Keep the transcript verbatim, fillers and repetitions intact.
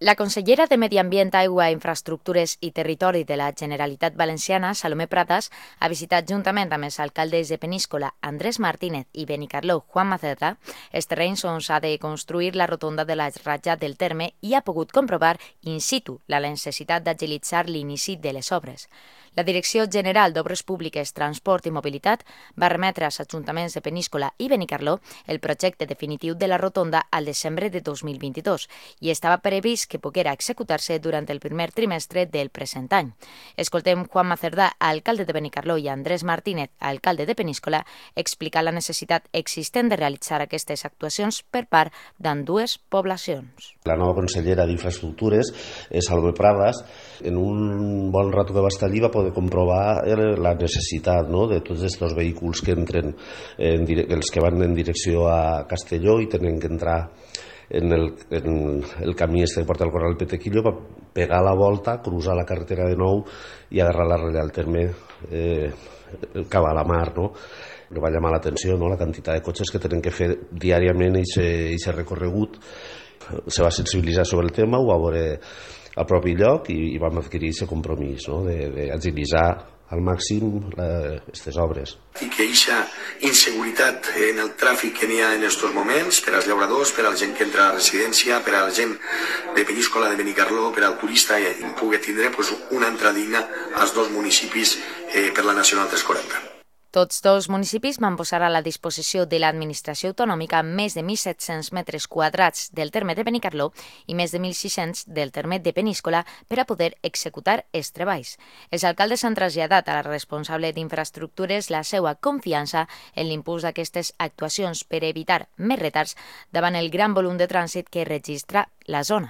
La consellera de Medi Ambient, Aigua, Infraestructures i Territori de la Generalitat Valenciana, Salomé Pradas, ha visitat juntament amb els alcaldes de Peníscola, Andrés Martínez i Benicarló, Juan Macerda, els terrenys on s'ha de construir la rotonda de la ratlla del terme i ha pogut comprovar in situ la necessitat d'agilitzar l'inici de les obres. La Direcció General d'Obres Públiques, Transport i Mobilitat va remetre als ajuntaments de Peníscola i Benicarló el projecte definitiu de la rotonda al desembre de dos mil vint-i-dos i estava previst que poguera executar-se durant el primer trimestre del present any. Escoltem Juan Macerdà, alcalde de Benicarló, i Andrés Martínez, alcalde de Peníscola, explicar la necessitat existent de realitzar aquestes actuacions per part d'ambdues poblacions. La nova consellera d'Infraestructures, Salomé Pradas, en un bon rato que va estar allí va poder comprovar la necessitat, no?, de tots aquests vehicles que entren, en dire... els que van en direcció a Castelló i tenen que entrar en el, en el camí este que porta el Corral Petequillo, per pegar la volta, cruzar la carretera de nou i agarrar la ratlla del terme eh, cap a la mar, no? Me va llamar l'atenció, no?, la quantitat de cotxes que tenen que fer diàriament aquest recorregut. Se va sensibilitzar sobre el tema, ho va veure al propi lloc i, i vam adquirir aquest compromís, no?, d'agilitzar al màxim aquestes obres. I que aquesta inseguretat en el tràfic que n'hi ha en aquests moments, per als llauradors, per a la gent que entra a la residència, per a la gent de Peníscola, de Benicarló, per al turista, i pugui tindre pues, una entrada digna als dos municipis eh, per la Nacional tres quaranta. Tots dos municipis van posar a la disposició de l'administració autonòmica més de mil set-cents metres quadrats del terme de Benicarló i més de mil sis-cents del terme de Peníscola per a poder executar els treballs. Els alcaldes han traslladat a la responsable d'infraestructures la seva confiança en l'impuls d'aquestes actuacions per evitar més retards davant el gran volum de trànsit que registra la zona.